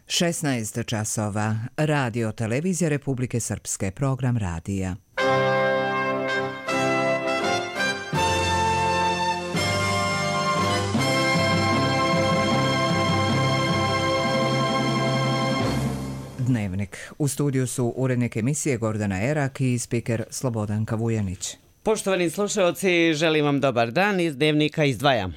16 časova. Radio Televizija Republike Srpske. Program radija. Dnevnik. U studiju su urednik emisije Gordana Erak i spiker Slobodanka Vujanić. Poštovani slušalci, želim vam dobar dan. Iz Dnevnika izdvajam.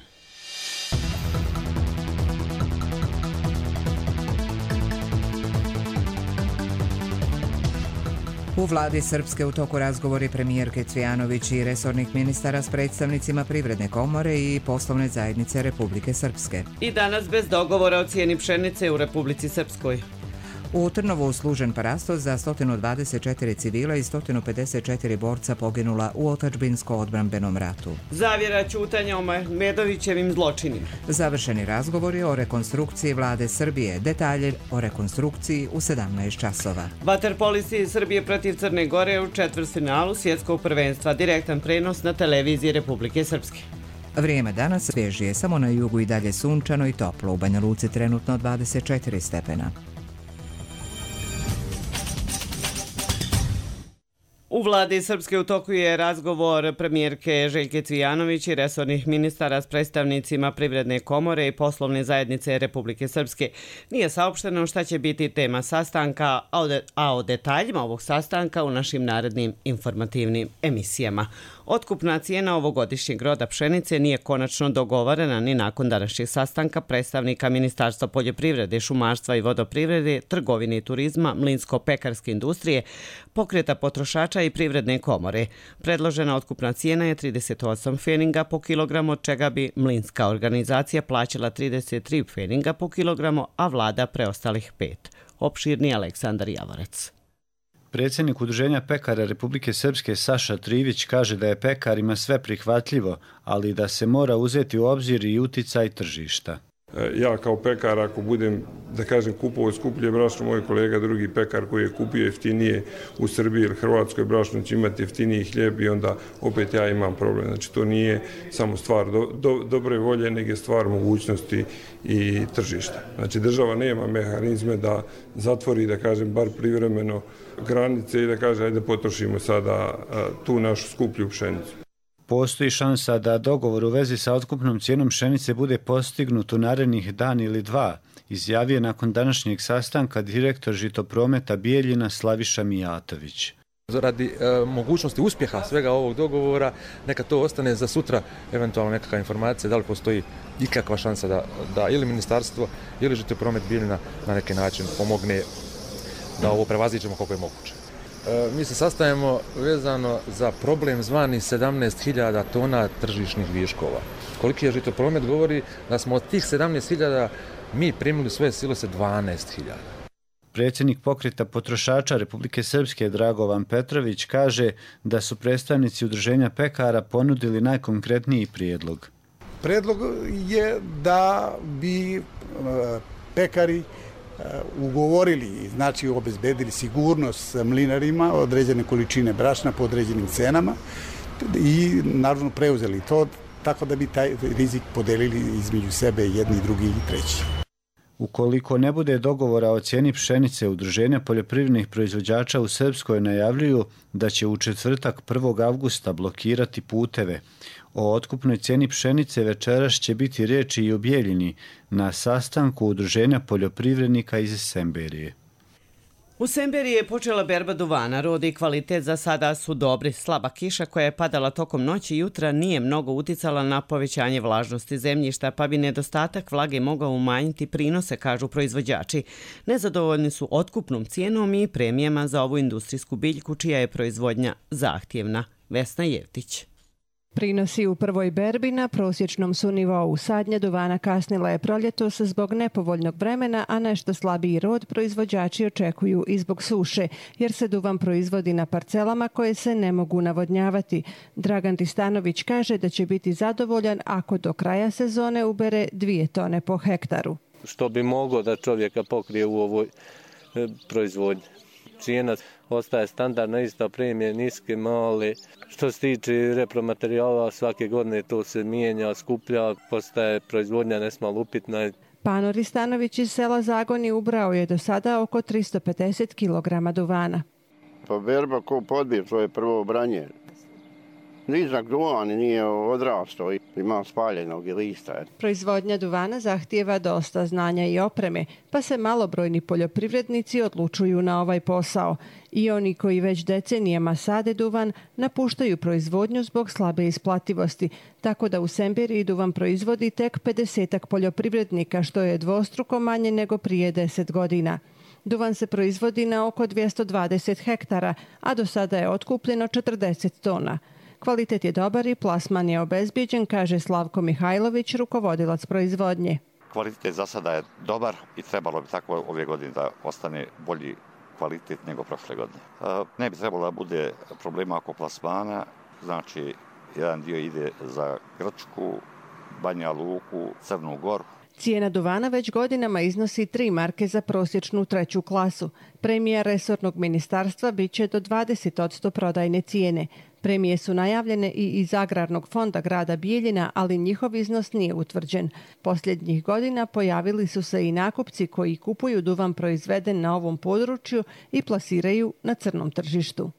U vladi Srpske u toku razgovori premijerke Cvijanović i resornih ministara s predstavnicima Privredne komore i Poslovne zajednice Republike Srpske. I danas bez dogovora o cijeni pšenice u Republici Srpskoj. U Trnovu služen parastos za 124 civila i 154 borca poginula u otadžbinsko-odbrambenom ratu. Zavjera ćutanja o Medovićevim zločinima. Završeni razgovori o rekonstrukciji vlade Srbije. Detalje o rekonstrukciji u 17 časova. Vaterpolisti Srbije protiv Crne Gore u četvrtfinalu svjetskog prvenstva. Direktan prenos na televiziji Republike Srpske. Vrijeme danas svježije, samo na jugu i dalje sunčano i toplo. U Banja Luci trenutno 24 stepena. U vladi Srpske u toku je razgovor premijerke Željke Cvijanović i resornih ministara s predstavnicima Privredne komore i Poslovne zajednice Republike Srpske. Nije saopšteno šta će biti tema sastanka, a o detaljima ovog sastanka u našim narednim informativnim emisijama. Otkupna cijena ovogodišnjeg roda pšenice nije konačno dogovorena ni nakon današnjeg sastanka predstavnika Ministarstva poljoprivrede, šumarstva i vodoprivrede, trgovine i turizma, mlinsko-pekarske industrije, pokreta potrošača i Privredne komore. Predložena otkupna cijena je 38 pfeninga po kilogramu, od čega bi mlinska organizacija plaćala 33 pfeninga po kilogramu, a vlada preostalih 5. Opširni Aleksandar Javorec. Predsjednik Udruženja pekara Republike Srpske Saša Trivić kaže da je pekarima sve prihvatljivo, ali da se mora uzeti u obzir i uticaj tržišta. Ja kao pekar, ako budem, da kažem, kupovao skuplje brašno, moj kolega, drugi pekar koji je kupio jeftinije u Srbiji ili Hrvatskoj brašno će imati jeftiniji hljeb i onda opet ja imam problem. Znači to nije samo stvar dobre volje, nego je stvar mogućnosti i tržišta. Znači država nema mehanizme da zatvori, da kažem, bar privremeno granice i da kaže ajde potrošimo sada tu našu skuplju pšenicu. Postoji šansa da dogovor u vezi sa otkupnom cijenom pšenice bude postignut u narednih dan ili dva, izjavio nakon današnjeg sastanka direktor Žitoprometa Bijeljina Slaviša Mijatović. Radi mogućnosti uspjeha svega ovog dogovora, neka to ostane za sutra, eventualno nekakva informacija da li postoji ikakva šansa da ili ministarstvo ili Žitopromet Bijeljina na neki način pomogne da ovo prevaziđemo koliko je moguće. Mi se sastajemo vezano za problem zvani 17.000 tona tržišnih viškova. Koliki je Žitopromet govori da smo od tih 17.000 mi primili svoje silose 12.000. Predsjednik pokreta potrošača Republike Srpske Dragovan Petrović kaže da su predstavnici Udruženja pekara ponudili najkonkretniji prijedlog. Predlog je da bi pekari ugovorili, znači obezbedili sigurnost mlinarima, određene količine brašna po određenim cenama i naravno preuzeli to tako da bi taj rizik podelili između sebe jedni, drugi i treći. Ukoliko ne bude dogovora o cijeni pšenice, Udruženja poljoprivrednih proizvođača u Srpskoj najavljuju da će u četvrtak 1. avgusta blokirati puteve. O otkupnoj cijeni pšenice večeras će biti riječi i o Bijeljini na sastanku Udruženja poljoprivrednika iz Semberije. U Semberiji je počela berba duvana. Rod i kvalitet za sada su dobri. Slaba kiša koja je padala tokom noći i jutra nije mnogo uticala na povećanje vlažnosti zemljišta, pa bi nedostatak vlage mogao umanjiti prinose, kažu proizvođači. Nezadovoljni su otkupnom cijenom i premijama za ovu industrijsku biljku, čija je proizvodnja zahtjevna. Vesna Jevtić. Prinosi u prvoj berbi na prosječnom su nivou. Sadnja duvana kasnila je proljetos zbog nepovoljnog vremena, a nešto slabiji rod proizvođači očekuju i zbog suše, jer se duvan proizvodi na parcelama koje se ne mogu navodnjavati. Dragan Tistanović kaže da će biti zadovoljan ako do kraja sezone ubere 2 tone po hektaru. Što bi moglo da čovjeka pokrije u ovoj proizvodnji. Cijena ostaje standardna, ista, premije niske, male. Što se tiče repromaterijala, svake godine to se mijenja, skuplja, postaje proizvodnja nesmalo upitna. Pano Ristanović iz sela Zagoni ubrao je do sada oko 350 kg duvana. Pa berba ko podbir, to je prvo branje. Nizak duvan nije odrastao, ima spaljenog lista. Proizvodnja duvana zahtijeva dosta znanja i opreme, pa se malobrojni poljoprivrednici odlučuju na ovaj posao. I oni koji već decenijama sade duvan napuštaju proizvodnju zbog slabe isplativosti, tako da u Semberiji duvan proizvodi tek 50 poljoprivrednika, što je dvostruko manje nego prije 10 godina. Duvan se proizvodi na oko 220 hektara, a do sada je otkupljeno 40 tona. Kvalitet je dobar i plasman je obezbijeđen, kaže Slavko Mihajlović, rukovodilac proizvodnje. Kvalitet za sada je dobar i trebalo bi tako ove godine da ostane bolji kvalitet nego prošle godine. Ne bi trebalo da bude problema oko plasmana, znači jedan dio ide za Grčku, Banja Luku, Crnu Goru. Cijena duvana već godinama iznosi 3 marke za prosječnu 3. klasu. Premija resornog ministarstva bit će do 20% prodajne cijene. Premije su najavljene i iz Agrarnog fonda grada Bijeljina, ali njihov iznos nije utvrđen. Posljednjih godina pojavili su se i nakupci koji kupuju duvan proizveden na ovom području i plasiraju na crnom tržištu.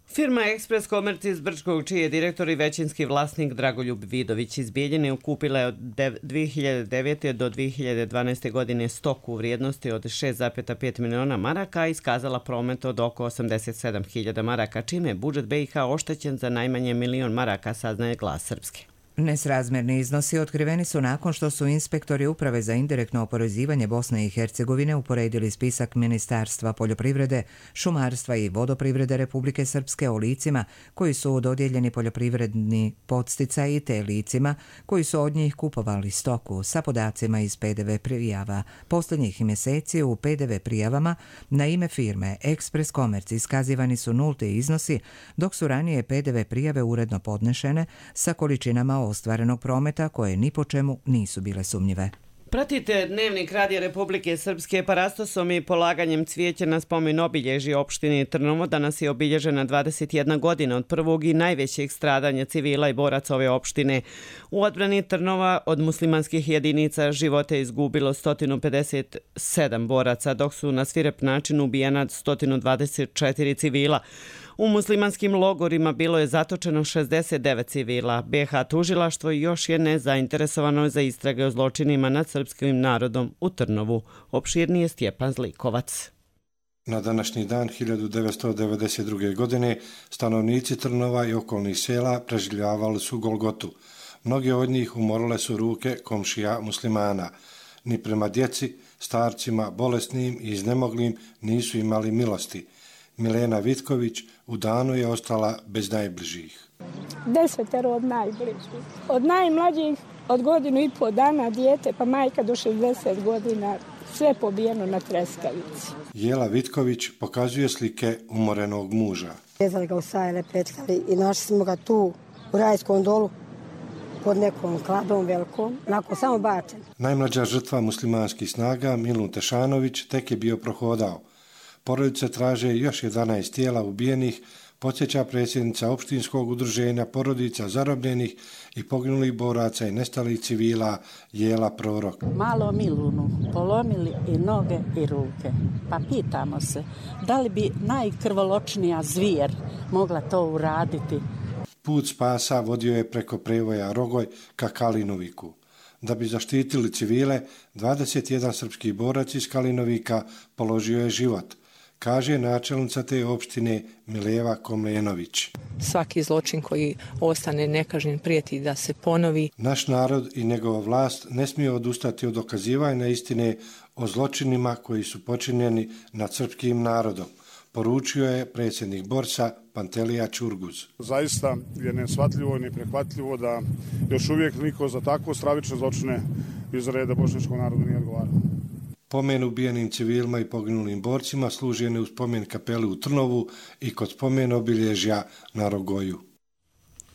Firma Ekspres Komerc iz Brčkog, čiji je direktor i većinski vlasnik Dragoljub Vidović iz Bijeljine, kupila je od 2009. do 2012. godine stoku u vrijednosti od 6,5 miliona maraka i iskazala promet od oko 87.000 maraka, čime je budžet BiH oštećen za najmanje 1.000.000 maraka, saznaje Glas Srpske. Nesrazmjerni iznosi otkriveni su nakon što su inspektori Uprave za indirektno oporezivanje Bosne i Hercegovine uporedili spisak Ministarstva poljoprivrede, šumarstva i vodoprivrede Republike Srpske o licima koji su dodijeljeni poljoprivredni podsticaji te licima koji su od njih kupovali stoku sa podacima iz PDV prijava. Posljednjih mjeseci u PDV prijavama na ime firme Ekspres Komerc iskazivani su nulti iznosi, dok su ranije PDV prijave uredno podnešene sa količinama ostvarenog prometa koje ni po čemu nisu bile sumnjive. Pratite Dnevnik Radija Republike Srpske. Parastosom i polaganjem cvijeća na spomen obilježja opštine Trnovo danas je obilježena 21 godina od prvog i najvećeg stradanja civila i boraca ove opštine. U odbrani Trnova od muslimanskih jedinica života je izgubilo 157 boraca, dok su na svirep način ubijena 124 civila. U muslimanskim logorima bilo je zatočeno 69 civila. BiH tužilaštvo još je nezainteresovano za istrage o zločinima nad srpskim narodom u Trnovu. Opširnije Stjepan Zlikovac. Na današnji dan 1992. godine stanovnici Trnova i okolnih sela preživljavali su Golgotu. Mnogi od njih umorile su ruke komšija muslimana. Ni prema djeci, starcima, bolesnim i iznemoglim nisu imali milosti. Milena Vitković u danu je ostala bez najbližih. 10 od najbližih. Od najmlađih od 1,5 dana dijete, pa majka do 60 godina, sve pobijeno na treskavici. Jela Vitković pokazuje slike umorenog muža. Vezali ga u sajle, petkali i našli smo ga tu u Rajskom dolu pod nekom kladom velikom, onako samo bačen. Najmlađa žrtva muslimanskih snaga, Milun Tešanović, tek je bio prohodao. Porodice traže još 11 tijela ubijenih, podsjeća predsjednica opštinskog udruženja porodica zarobljenih i poginulih boraca i nestalih civila Jela Prorok. Malo Milunu polomili i noge i ruke. Pa pitamo se, da li bi najkrvoločnija zvijer mogla to uraditi? Put spasa vodio je preko prevoja Rogoj ka Kalinoviku. Da bi zaštitili civile, 21 srpski borac iz Kalinovika položio je život, kaže načelnica te opštine Mileva Komlenović. Svaki zločin koji ostane nekažnjen prijeti da se ponovi. Naš narod i njegova vlast ne smije odustati od dokazivanja istine o zločinima koji su počinjeni nad srpskim narodom, poručio je predsjednik Borsa Pantelija Čurguz. Zaista je neshvatljivo i neprihvatljivo da još uvijek niko za takvo stravične zločine iz reda bošnjačkog naroda nije odgovarao. Pomen ubijenim civilima i poginulim borcima služen je u spomen kapeli u Trnovu i kod spomen obilježja na Rogoju.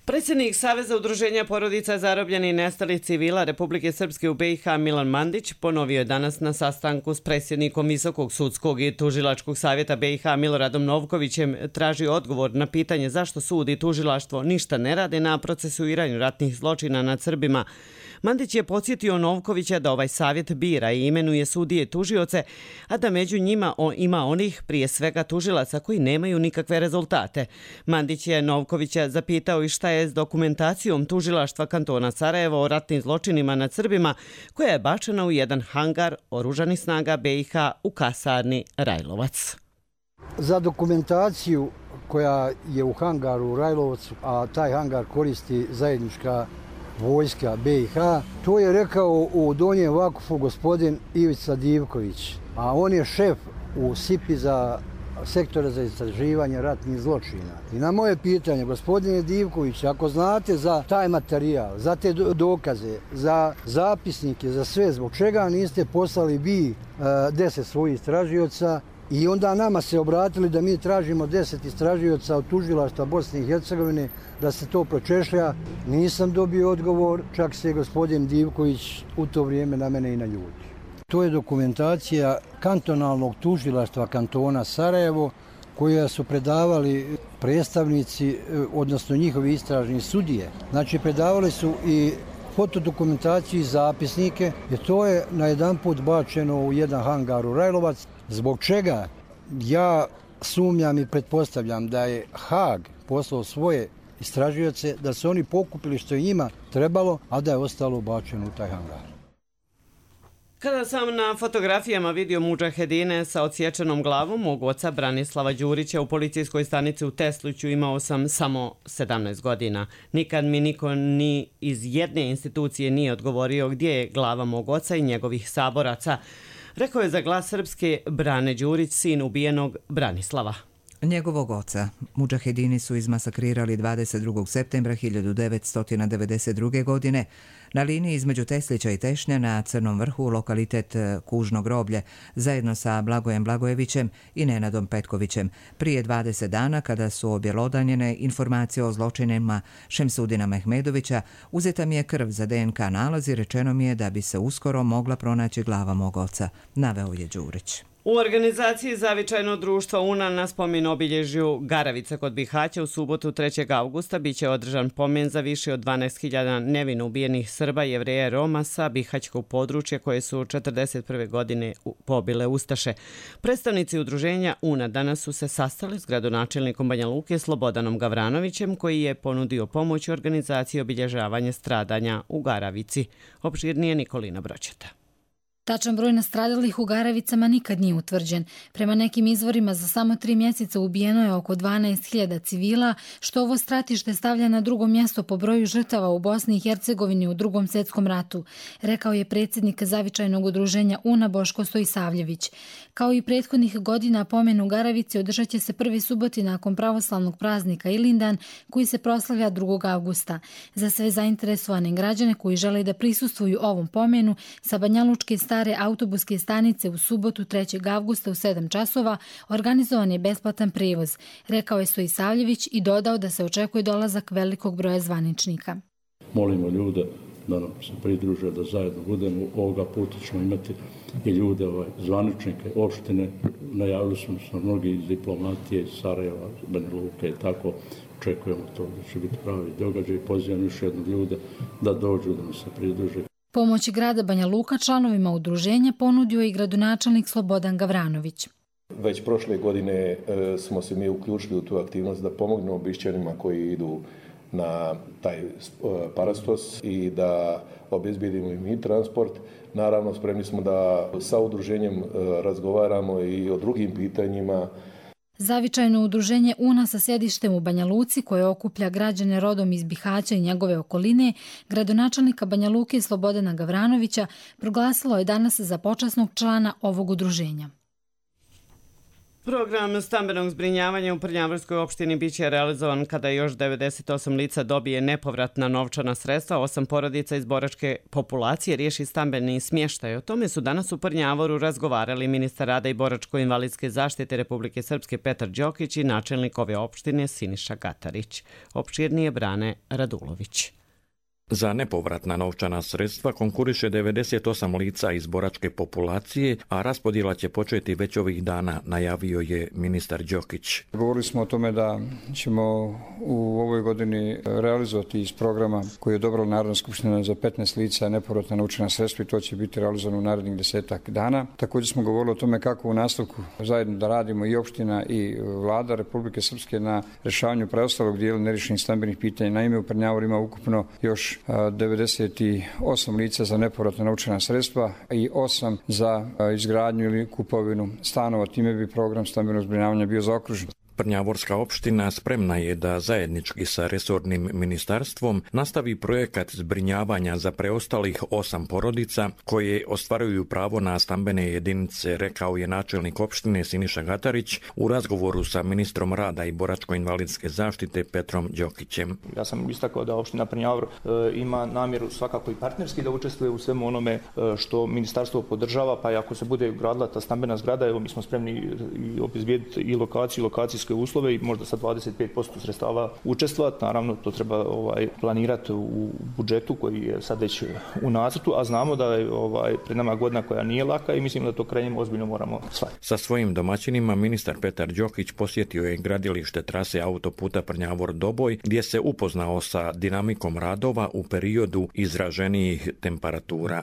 Predsjednik Saveza udruženja porodica zarobljenih i nestalih civila Republike Srpske u BiH Milan Mandić ponovio je danas na sastanku s predsjednikom Visokog sudskog i tužilačkog savjeta BiH Miloradom Novkovićem traži odgovor na pitanje zašto sud i tužilaštvo ništa ne rade na procesuiranju ratnih zločina nad Srbima. Mandić je podsjetio Novkovića da ovaj savjet bira i imenuje sudije tužioce, a da među njima ima onih, prije svega tužilaca, koji nemaju nikakve rezultate. Mandić je Novkovića zapitao i šta je s dokumentacijom tužilaštva kantona Sarajevo o ratnim zločinima nad Srbima, koja je bačena u jedan hangar oružanih snaga BiH u kasarni Rajlovac. Za dokumentaciju koja je u hangaru u Rajlovcu, a taj hangar koristi zajednička vojska BiH, to je rekao u Donjem Vakufu gospodin Ivica Divković, a on je šef u SIP-i za sektora za istraživanje ratnih zločina. I na moje pitanje, gospodine Divković, ako znate za taj materijal, za te dokaze, za zapisnike, za sve, zbog čega niste poslali vi 10 svojih istražioca i onda nama se obratili da mi tražimo 10 istražioca od tužilaštva Bosne i Hercegovine da se to pročešlja, nisam dobio odgovor, čak se gospodin Divković u to vrijeme na mene i naljuti. To je dokumentacija kantonalnog tužilaštva kantona Sarajevo, koja su predavali predstavnici, odnosno njihovi istražni sudije. Znači, predavali su i fotodokumentaciju i zapisnike, jer to je na jedan put bačeno u jedan hangar u Rajlovac. Zbog čega ja sumnjam i pretpostavljam da je Haag poslao svoje istražioce, da su oni pokupili što je njima trebalo, a da je ostalo bačeno u taj hangar. Kada sam na fotografijama vidio mudžahedine sa odsječenom glavom mog oca Branislava Đurića u policijskoj stanici u Tesliću, imao sam samo 17 godina. Nikad mi niko ni iz jedne institucije nije odgovorio gdje je glava mog oca i njegovih saboraca, rekao je za Glas Srpske Brane Đurić, sin ubijenog Branislava. Njegovog oca mudžahedini su izmasakrirali 22. septembra 1992. godine na liniji između Teslića i Tešnja na Crnom vrhu, lokalitet Kužno groblje, zajedno sa Blagojem Blagojevićem i Nenadom Petkovićem. Prije 20 dana, kada su objelodanjene informacije o zločinima Šemsudina Mehmedovića, uzeta mi je krv za DNK nalaz i rečeno mi je da bi se uskoro mogla pronaći glava mog oca, naveo je Đurić. U organizaciji Zavičajno društvo UNA na spomen obilježju Garavica kod Bihaća u subotu 3. augusta biće održan pomen za više od 12.000 nevino ubijenih Srba, Jevreja i Roma sa bihaćkog područja koje su 1941. godine pobile Ustaše. Predstavnici udruženja UNA danas su se sastali s gradonačelnikom Banja Luke Slobodanom Gavranovićem, koji je ponudio pomoć u organizaciji obilježavanja stradanja u Garavici. Opširnije Nikolina Broćeta. Tačan broj nastradalih u Garavicama nikad nije utvrđen. Prema nekim izvorima za samo 3 mjeseca ubijeno je oko 12.000 civila, što ovo stratište stavlja na drugo mjesto po broju žrtava u Bosni i Hercegovini u Drugom svjetskom ratu, rekao je predsjednik Zavičajnog udruženja UNA Boško Stojsavljević. Kao i prethodnih godina, pomen u Garavici održat će se prvi suboti nakon pravoslavnog praznika Ilindan, koji se proslavlja 2. avgusta. Za sve zainteresovane građane koji žele da prisustvuju ovom pomenu, sa Banjalučke stare autobuske stanice u subotu 3. avgusta u 7 časova organizovan je besplatan prijevoz, rekao je Stojsavljević i dodao da se očekuje dolazak velikog broja zvaničnika. Molimo ljude da nam se pridruže, da zajedno budemo. Ovoga puta ćemo imati i ljude, zvaničnike, opštine. Najavili smo se mnogi iz diplomatije, iz Sarajeva, Banja Luke i tako. Očekujemo to da će biti pravi događaj. Pozivam još jednog ljude da dođu, da nam se pridruže. Pomoć grada Banja Luka članovima udruženja ponudio je i gradonačelnik Slobodan Gavranović. Već prošle godine smo se mi uključili u tu aktivnost da pomognemo Bišćanima koji idu na taj parastos i da obezbijedimo im i transport. Naravno, spremni smo da sa udruženjem razgovaramo i o drugim pitanjima. Zavičajno udruženje UNA sa sjedištem u Banja Luci, koje okuplja građane rodom iz Bihaća i njegove okoline, gradonačelnika Banja Luke Slobodana Gavranovića proglasilo je danas za počasnog člana ovog udruženja. Program stambenog zbrinjavanja u Prnjavorskoj opštini biće realizovan kada još 98 lica dobije nepovratna novčana sredstva, 8 porodica iz boračke populacije riješi stambeni smještaj. O tome su danas u Prnjavoru razgovarali ministar rada i boračko-invalidske zaštite Republike Srpske Petar Đokić i načelnik ove opštine Siniša Gatarić. Opširnije Brane Radulović. Za nepovratna novčana sredstva konkuriše 98 lica iz boračke populacije, a raspodjela će početi već ovih dana, najavio je ministar Đokić. Govorili smo o tome da ćemo u ovoj godini realizovati iz programa koji je odobrila Narodna skupština za 15 lica nepovratna novčana sredstva i to će biti realizovano u narednih 10 dana. Također smo govorili o tome kako u nastavku zajedno da radimo i opština i vlada Republike Srpske na rješavanju preostalog dijela neriješenih stambenih pitanja. Naime, u Prnjavoru ima ukupno još 98 lica za nepovratna novčana sredstva i 8 za izgradnju ili kupovinu stanova. Time bi program stambenog zbrinjavanja bio zaokružen. Prnjavorska opština spremna je da zajednički sa resornim ministarstvom nastavi projekat zbrinjavanja za preostalih 8 porodica koje ostvaruju pravo na stambene jedinice, rekao je načelnik opštine Siniša Gatarić u razgovoru sa ministrom rada i boračko-invalidske zaštite Petrom Đokićem. Ja sam istakao da opština Prnjavor ima namjeru svakako i partnerski da učestvuje u svemu onome što ministarstvo podržava, pa i ako se bude gradila ta stambena zgrada, evo mi smo spremni i obezbijediti i lokacijske uslove i možda sa 25% sredstava učestvovati. Naravno, to treba planirati u budžetu koji je sad već u nacrtu, a znamo da je pred nama godina koja nije laka i mislim da to krenjem ozbiljno moramo shvatiti. Sa svojim domaćinima ministar Petar Đokić posjetio je gradilište trase autoputa Prnjavor-Doboj gdje se upoznao sa dinamikom radova u periodu izraženijih temperatura.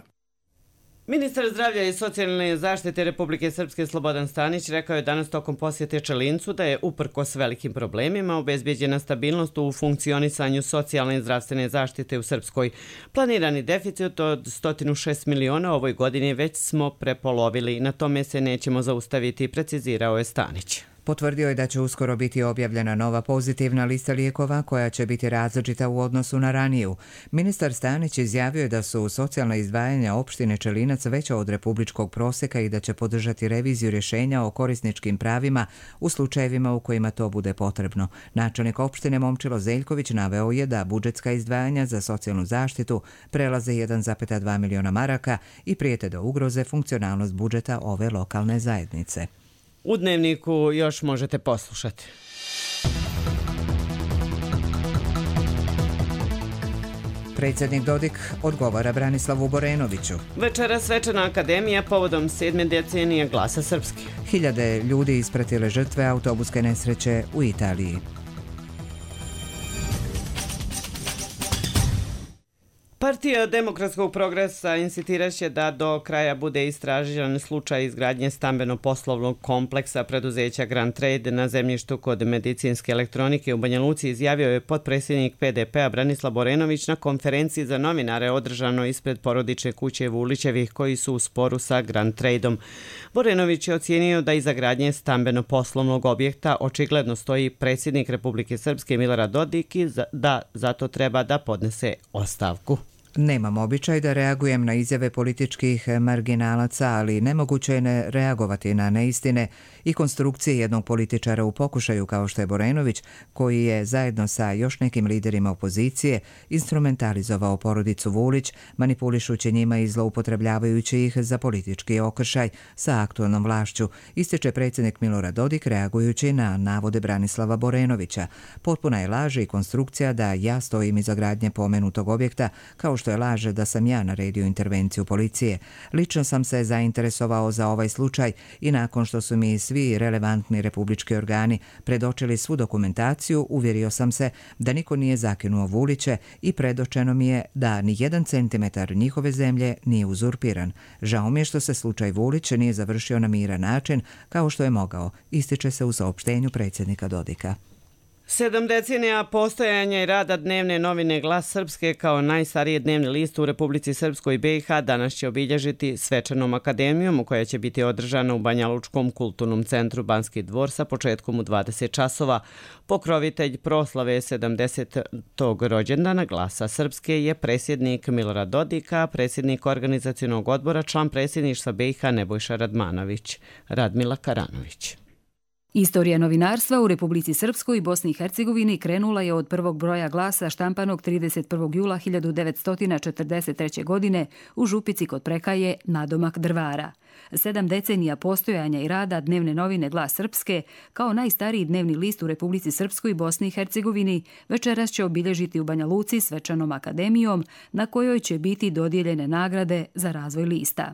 Ministar zdravlja i socijalne zaštite Republike Srpske Slobodan Stanić rekao je danas tokom posjete Čelincu da je uprkos velikim problemima obezbeđena stabilnost u funkcionisanju socijalne i zdravstvene zaštite u Srpskoj. Planirani deficit od 106 miliona ovoj godini već smo prepolovili. Na tome se nećemo zaustaviti, precizirao je Stanić. Potvrdio je da će uskoro biti objavljena nova pozitivna lista lijekova koja će biti različita u odnosu na raniju. Ministar Stanić izjavio je da su socijalna izdvajanja opštine Čelinac veća od republičkog prosjeka i da će podržati reviziju rješenja o korisničkim pravima u slučajevima u kojima to bude potrebno. Načelnik opštine Momčilo Zeljković naveo je da budžetska izdvajanja za socijalnu zaštitu prelaze 1,2 miliona maraka i prijete da ugroze funkcionalnost budžeta ove lokalne zajednice. U Dnevniku još možete poslušati. Predsjednik Dodik odgovara Branislavu Borenoviću. Večera svečana akademija povodom 7. decenije Glasa Srpske. Hiljade ljudi ispratile žrtve autobuske nesreće u Italiji. Partija Demokratskog progresa insistiraće da do kraja bude istražen slučaj izgradnje stambeno-poslovnog kompleksa preduzeća Grand Trade na zemljištu kod medicinske elektronike u Banja Luci, izjavio je potpredsjednik PDP-a Branislav Borenović na konferenciji za novinare održano ispred porodične kuće Vulićevih koji su u sporu sa Grand Tradeom. Borenović je ocijenio da iza gradnje stambeno-poslovnog objekta očigledno stoji predsjednik Republike Srpske Milorad Dodik i da zato treba da podnese ostavku. Nemam običaj da reagujem na izjave političkih marginalaca, ali nemoguće je ne reagovati na neistine i konstrukcije jednog političara u pokušaju kao što je Borenović, koji je zajedno sa još nekim liderima opozicije instrumentalizovao porodicu Vulić, manipulišući njima i zloupotrebljavajući ih za politički okršaj sa aktualnom vlašću, ističe predsjednik Milorad Dodik reagujući na navode Branislava Borenovića. Potpuna je laž i konstrukcija da ja stojim iza gradnje pomenutog objekta, kao što je laž da sam ja naredio intervenciju policije. Lično sam se zainteresovao za ovaj slučaj i nakon što su mi svi relevantni republički organi predočili svu dokumentaciju, uvjerio sam se da niko nije zakinuo Vuliće i predočeno mi je da ni 1 centimetar njihove zemlje nije uzurpiran. Žao mi je što se slučaj Vulić nije završio na miran način kao što je mogao, ističe se u saopštenju predsjednika Dodika. 7 decenija postojanja i rada dnevne novine Glas Srpske kao najstariji dnevni list u Republici Srpskoj i BiH danas će obilježiti svečanom akademijom koja će biti održana u Banja Lučkom kulturnom centru Banski dvor sa početkom u 20 časova. Pokrovitelj proslave 70. rođendana Glasa Srpske je predsjednik Milorad Dodik, a predsjednik organizacionog odbora član predsjedništva BiH Nebojša Radmanović. Radmila Karanović. Istorija novinarstva u Republici Srpskoj i Bosni i Hercegovini krenula je od prvog broja glasa štampanog 31. jula 1943. godine u Župici kod Prekaje nadomak Drvara. 7 decenija postojanja i rada dnevne novine Glas Srpske, kao najstariji dnevni list u Republici Srpskoj i Bosni i Hercegovini, večeras će obilježiti u Banja Luci svečanom akademijom na kojoj će biti dodijeljene nagrade za razvoj lista.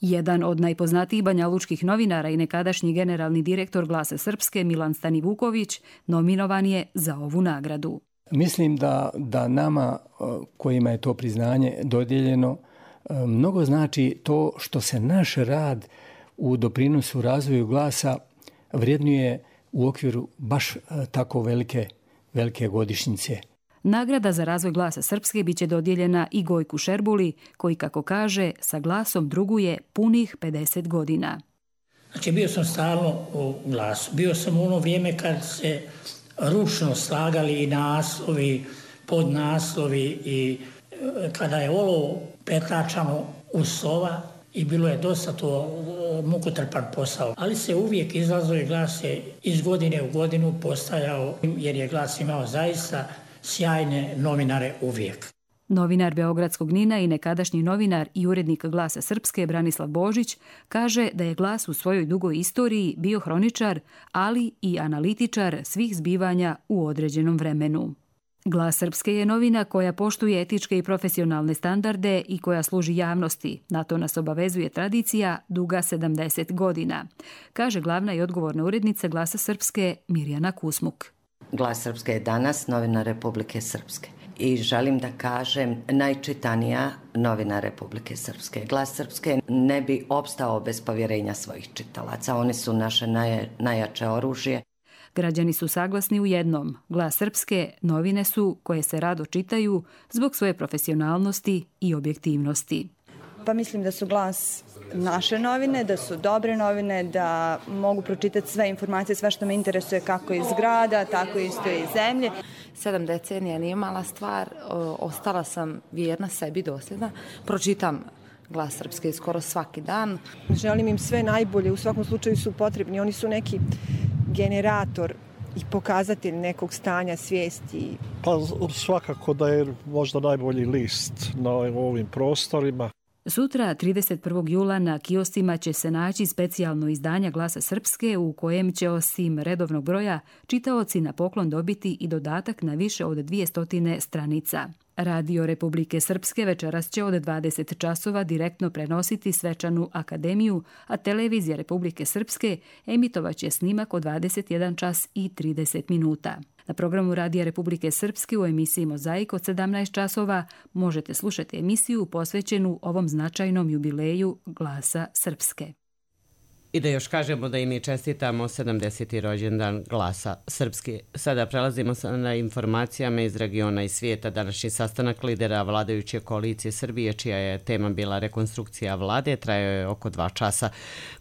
Jedan od najpoznatijih banjalučkih novinara i nekadašnji generalni direktor Glasa Srpske Milan Stanivuković nominovan je za ovu nagradu. Mislim da nama kojima je to priznanje dodijeljeno mnogo znači to što se naš rad u doprinosu razvoju glasa vrednuje u okviru baš tako velike godišnjice. Nagrada za razvoj Glasa Srpske biće dodijeljena i Gojku Šerbuli, koji, kako kaže, sa glasom druguje punih 50 godina. Znači, bio sam stalno u Glasu. Bio sam u ono vrijeme kad se ručno slagali i naslovi, podnaslovi i kada je olov pretlačano u sova i bilo je dosta to mukotrpan posao. Ali se uvijek izlazio i Glas je iz godine u godinu postajao, jer je Glas imao zaista sjajne novinare uvijek. Novinar Beogradskog NIN-a i nekadašnji novinar i urednik Glasa Srpske Branislav Božić kaže da je Glas u svojoj dugoj istoriji bio hroničar, ali i analitičar svih zbivanja u određenom vremenu. Glas Srpske je novina koja poštuje etičke i profesionalne standarde i koja služi javnosti. Na to nas obavezuje tradicija duga 70 godina, kaže glavna i odgovorna urednica Glasa Srpske Mirjana Kusmuk. Glas Srpske je danas novina Republike Srpske i želim da kažem najčitanija novina Republike Srpske. Glas Srpske ne bi opstao bez povjerenja svojih čitalaca. Oni su naše najjače oružje. Građani su saglasni u jednom. Glas Srpske novine su koje se rado čitaju zbog svoje profesionalnosti i objektivnosti. Pa mislim da su Glas naše novine, da su dobre novine, da mogu pročitati sve informacije, sve što me interesuje kako iz grada, tako isto i iz zemlje. 7 decenija nije mala stvar, ostala sam vjerna sebi, dosljedna. Pročitam Glas Srpske skoro svaki dan. Želim im sve najbolje, u svakom slučaju su potrebni. Oni su neki generator i pokazatelj nekog stanja svijesti. Pa svakako da je možda najbolji list na ovim prostorima. Sutra, 31. jula, na kioscima će se naći specijalno izdanje Glasa Srpske u kojem će osim redovnog broja čitaoci na poklon dobiti i dodatak na više od 200 stranica. Radio Republike Srpske večeras će od 20 časova direktno prenositi svečanu akademiju, a televizija Republike Srpske emitovaće snimak od 21 čas i 30 minuta. Na programu Radija Republike Srpske u emisiji Mozaik od 17 časova možete slušati emisiju posvećenu ovom značajnom jubileju Glasa Srpske. I da još kažemo da i mi čestitamo 70. rođendan Glasa Srpske. Sada prelazimo na informacijama iz regiona i svijeta. Današnji sastanak lidera vladajuće koalicije Srbije, čija je tema bila rekonstrukcija vlade, trajao je oko 2 časa.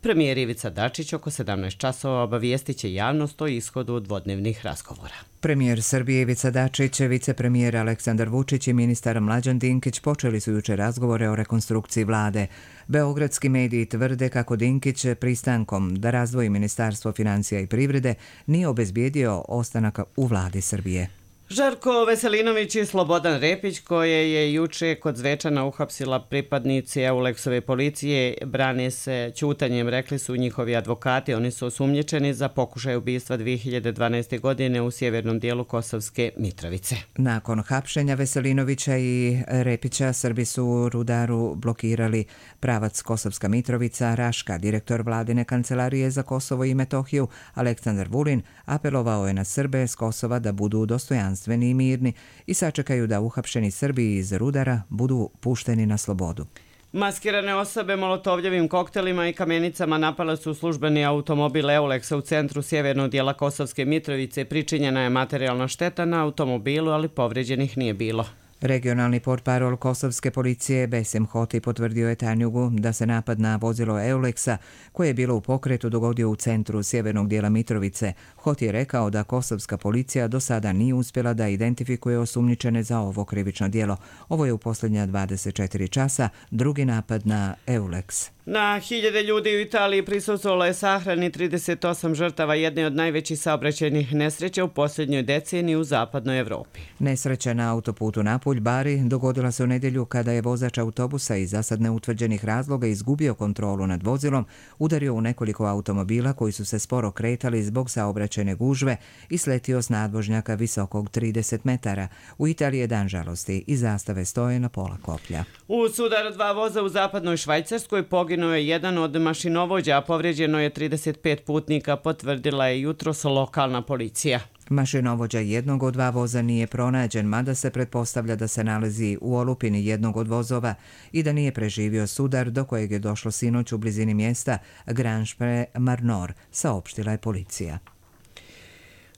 Premijer Ivica Dačić oko 17 časova obavijestit će javnost o ishodu dvodnevnih razgovora. Premijer Srbije Ivica Dačić, vicepremijer Aleksandar Vučić i ministar Mlađan Dinkić počeli su jučer razgovore o rekonstrukciji vlade. Beogradski mediji tvrde kako Dinkić pristankom da razdvoji Ministarstvo financija i privrede nije obezbijedio ostanak u vladi Srbije. Žarko Veselinović i Slobodan Repić, koje je juče kod Zvečana uhapsila pripadnici Euleksove policije, brane se ćutanjem, rekli su njihovi advokati. Oni su osumnjičeni za pokušaj ubistva 2012. godine u sjevernom dijelu Kosovske Mitrovice. Nakon hapšenja Veselinovića i Repića, Srbi su Rudaru blokirali pravac Kosovska Mitrovica. Raška, direktor vladine kancelarije za Kosovo i Metohiju, Aleksandar Vulin, apelovao je na Srbe s Kosova da budu dostojanstveni i mirni i sačekaju da uhapšeni Srbi iz Rudara budu pušteni na slobodu. Maskirane osobe molotovljevim koktelima i kamenicama napale su službeni automobil Euleksa u centru sjevernog dijela Kosovske Mitrovice. Pričinjena je materijalna šteta na automobilu, ali povređenih nije bilo. Regionalni portparol kosovske policije Besim Hoti potvrdio je Tanjugu da se napad na vozilo Euleksa, koje je bilo u pokretu, dogodio u centru sjevernog dijela Mitrovice. Hoti je rekao da kosovska policija do sada nije uspjela da identifikuje osumnjičene za ovo krivično djelo. Ovo je u posljednja 24 časa drugi napad na Euleks. Na hiljade ljudi u Italiji prisustvovalo je sahrani 38 žrtava jedne od najvećih saobraćajnih nesreća u posljednjoj deceniji u zapadnoj Evropi. Nesreća na autoputu Napulj-Bari dogodila se u nedjelju kada je vozač autobusa iz zasad neutvrđenih razloga izgubio kontrolu nad vozilom, udario u nekoliko automobila koji su se sporo kretali zbog saobraćajne gužve i sletio s nadvožnjaka visokog 30 metara. U Italiji je dan žalosti i zastave stoje na pola koplja. U sudaru dva voza u zapadnoj Švajcarskoj poginuo je jedan od mašinovođa, a povrijeđeno je 35 putnika, potvrdila je jutros lokalna policija. Mašinovođa jednog od dva voza nije pronađen, mada se pretpostavlja da se nalazi u olupini jednog od vozova i da nije preživio sudar do kojeg je došlo sinoć u blizini mjesta Grange-Marnor, saopštila je policija.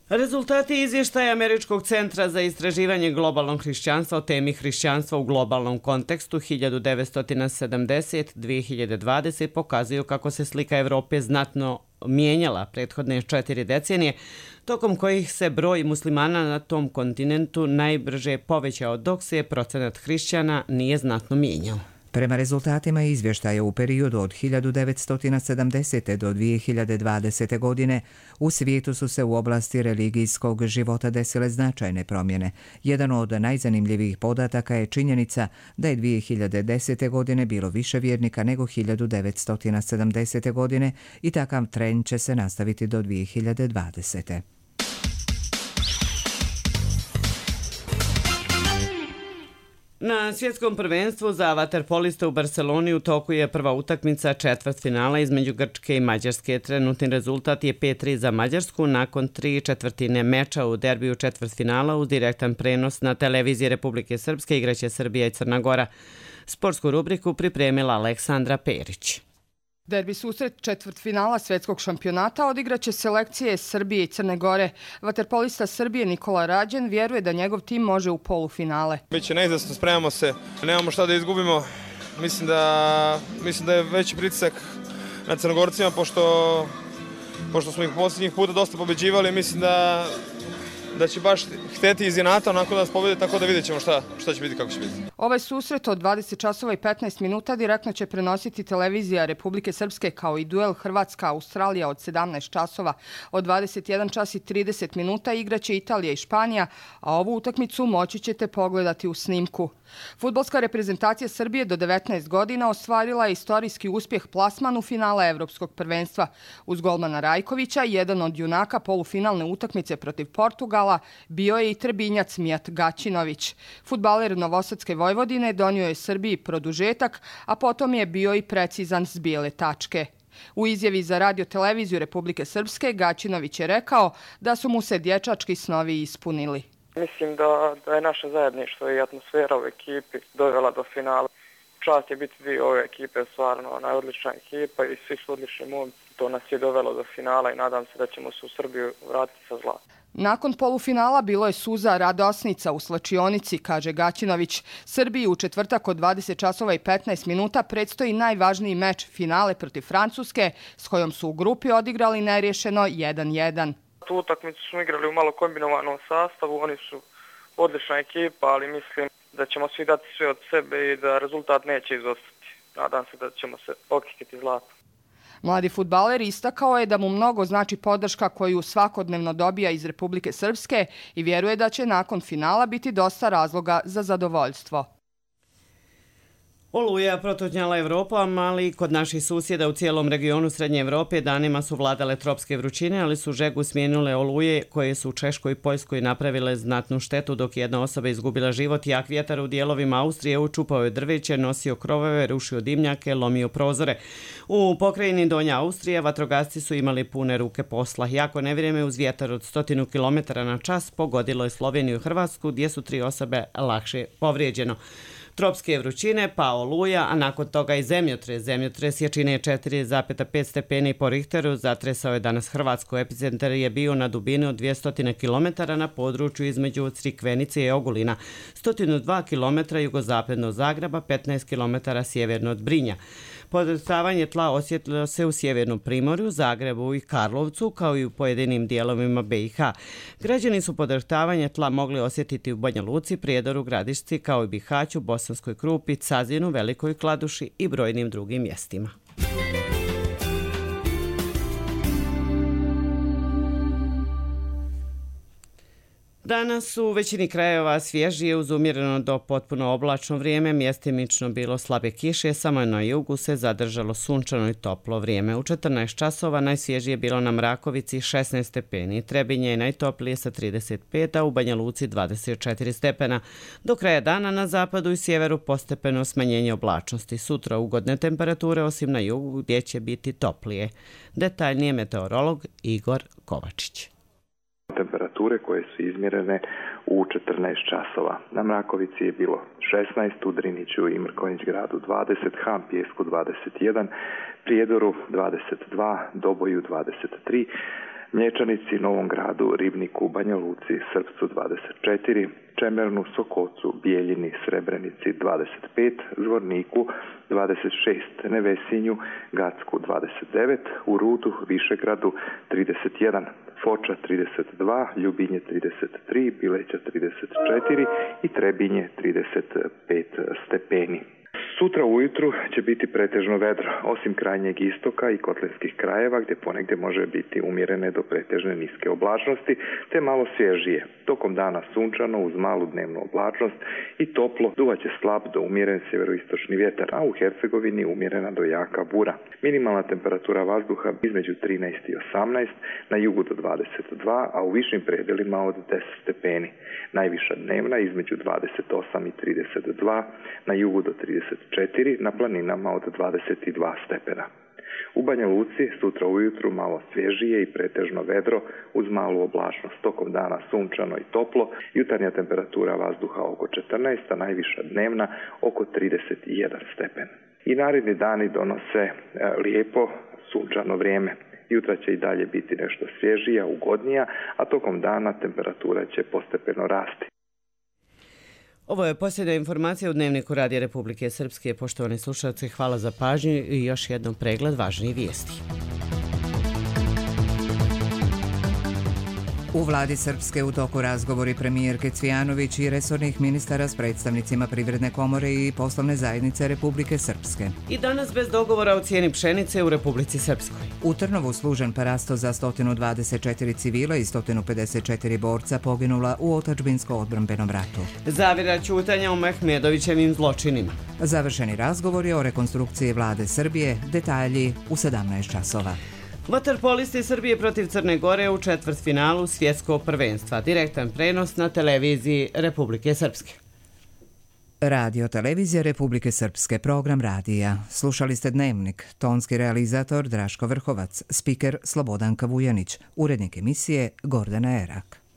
Rezultati izvještaja Američkog centra za istraživanje globalnog hrišćanstva o temi hrišćanstva u globalnom kontekstu 1970-2020 pokazuju kako se slika Evrope znatno mijenjala prethodne 4 decenije, tokom kojih se broj muslimana na tom kontinentu najbrže povećao, dok se procenat hrišćana nije znatno mijenjao. Prema rezultatima izvještaja u periodu od 1970. do 2020. godine u svijetu su se u oblasti religijskog života desile značajne promjene. Jedan od najzanimljivijih podataka je činjenica da je 2010. godine bilo više vjernika nego 1970. godine i takav trend će se nastaviti do 2020. Na svjetskom prvenstvu za vaterpoliste u Barceloni u toku je prva utakmica četvrtfinala između Grčke i Mađarske. Trenutni rezultat je 5-3 za Mađarsku nakon 3/4 meča u derbiju četvrtfinala uz direktan prenos na televiziji Republike Srpske igraće Srbija i Crna Gora. Sportsku rubriku pripremila Aleksandra Perić. Derbi susret četvrtfinala svjetskog šampionata odigraće selekcije Srbije i Crne Gore. Vaterpolista Srbije Nikola Rađen vjeruje da njegov tim može u polufinale. Biće neizvjesno, spremamo se, nemamo šta da izgubimo. Mislim da je veći pritisak na Crnogorcima, pošto smo ih posljednjih puta dosta pobeđivali. Mislim da će baš hteti iz inata onako da nas pobede, tako da vidjet ćemo šta će biti, kako će biti. Ovaj susret od 20 časova i 15 minuta direktno će prenositi televizija Republike Srpske kao i duel Hrvatska-Australija od 17 časova. Od 21 čas i 30 minuta igraće Italija i Španija, a ovu utakmicu moći ćete pogledati u snimku. Fudbalska reprezentacija Srbije do 19 godina ostvarila je istorijski uspjeh plasman u finala Evropskog prvenstva. Uz golmana Rajkovića, jedan od junaka polufinalne utakmice protiv Portugala bio je i Trebinjac Mijat Gaćinović. Fudbaler Novosadske Vojvodine donio je Srbiji produžetak, a potom je bio i precizan s bijele tačke. U izjavi za radio-televiziju Republike Srpske Gaćinović je rekao da su mu se dječački snovi ispunili. Mislim da je naše zajedništvo i atmosfera u ekipi dovela do finala. Čast je biti dio ove ekipe, stvarno odlična ekipa i svi su odlični momci. To nas je dovelo do finala i nadam se da ćemo se u Srbiju vratiti sa zlatom. Nakon polufinala bilo je suza radosnica u slačionici, kaže Gaćinović. Srbiji u četvrtak od 20 časova i 15 minuta predstoji najvažniji meč finale protiv Francuske, s kojom su u grupi odigrali neriješeno 1-1. Tu utakmicu smo igrali u malo kombinovanom sastavu, oni su odlična ekipa, ali mislim da ćemo svi dati sve od sebe i da rezultat neće izostati. Nadam se da ćemo se okikiti zlatom. Mladi fudbaler istakao je da mu mnogo znači podrška koju svakodnevno dobija iz Republike Srpske i vjeruje da će nakon finala biti dosta razloga za zadovoljstvo. Oluja protutnjala Evropom, ali i kod naših susjeda u cijelom regionu Srednje Evrope danima su vladale tropske vrućine, ali su žegu smijenule oluje koje su u Češkoj i Poljskoj napravile znatnu štetu, dok jedna osoba izgubila život. Jak vjetar u dijelovima Austrije učupao je drveće, nosio krovove, rušio dimnjake, lomio prozore. U pokrajini Donja Austrija vatrogasci su imali pune ruke posla. Jako nevrijeme uz vjetar od 100 km/h pogodilo je Sloveniju i Hrvatsku, gdje su 3 osobe lakše povrijeđeno. Tropske vrućine, pa oluja, a nakon toga i zemljotres. Zemljotres jačine 4,5 stepeni po Richteru zatresao je danas Hrvatsku. Epicentar je bio na dubini od 200 km na području između Crikvenice i Ogulina, 102 km jugozapadno od Zagreba, 15 km sjeverno od Brinja. Podrhtavanje tla osjetilo se u sjevernom Primorju, Zagrebu i Karlovcu, kao i u pojedinim dijelovima BiH. Građani su podrhtavanje tla mogli osjetiti u Banja Luci, Prijedoru, Gradišci, kao i Bihaću, Bosanskoj Krupi, Cazinu, Velikoj Kladuši i brojnim drugim mjestima. Danas u većini krajeva svježije uz umjereno do potpuno oblačno vrijeme, mjestimično bilo slabe kiše, samo na jugu se zadržalo sunčano i toplo vrijeme. U 14 časova najsvježije bilo na Mrakovici 16 stepeni, Trebinje je najtoplije sa 35, a u Banja Luci 24 stepena. Do kraja dana na zapadu i sjeveru postepeno smanjenje oblačnosti. Sutra ugodne temperature osim na jugu gdje će biti toplije. Detaljnije meteorolog Igor Kovačić. Temperature koje su izmjerene u 14 časova. Na Mrakovici je bilo 16, u Driniću i Mrkonjić gradu 20, Han Pijesku 21, Prijedoru 22, Doboju 23, Mlječanici, Novom gradu, Ribniku, Banja Luci, Srpcu 24, Čemernu, Sokocu, Bijeljini, Srebrenici 25, Zvorniku 26, Nevesinju, Gacku 29, u Rudu, Višegradu 31, Foča 32, Ljubinje 33, Bileća 34 i Trebinje 35 stepeni. Sutra ujutru će biti pretežno vedro, osim krajnjeg istoka i kotlinskih krajeva gdje ponegdje može biti umjerene do pretežne niske oblačnosti, te malo svježije. Tokom dana sunčano uz malu dnevnu oblačnost i toplo, duvaće slab do umjeren sjeveroistočni vjetar, a u Hercegovini umjerena do jaka bura. Minimalna temperatura vazduha između 13 i 18, na jugu do 22, a u višim predelima od 10 stepeni. Najviša dnevna između 28 i 32, na jugu do 34, na planinama od 22 stepena. U Banja Luci sutra ujutru malo svježije i pretežno vedro uz malu oblačnost. Tokom dana sunčano i toplo, jutarnja temperatura vazduha oko 14, a najviša dnevna oko 31 stepen. I naredni dani donose lijepo sunčano vrijeme. Jutra će i dalje biti nešto svježija, ugodnija, a tokom dana temperatura će postepeno rasti. Ovo je posljednja informacija u Dnevniku Radija Republike Srpske. Poštovani slušalci, hvala za pažnju i još jednom pregled važnijih vijesti. U vladi Srpske u toku razgovori premijerke Cvijanović i resornih ministara s predstavnicima Privredne komore i poslovne zajednice Republike Srpske. I danas bez dogovora o cijeni pšenice u Republici Srpskoj. U Trnovu služen parasto za 124 civila i 154 borca poginula u otadžbinsko-odbrambenom ratu. Zavjera ćutanja o Mehmedovićevim zločinima. Završeni razgovori o rekonstrukciji vlade Srbije, detalji u 17 časova. Vaterpolisti Srbije protiv Crne Gore u četvrtfinalu svjetskog prvenstva. Direktan prenos na televiziji Republike Srpske. Radio televizija Republike Srpske, program radija. Slušali ste Dnevnik, tonski realizator Draško Vrhovac, spiker Slobodanka Vujanić, urednik emisije Gordana Erak.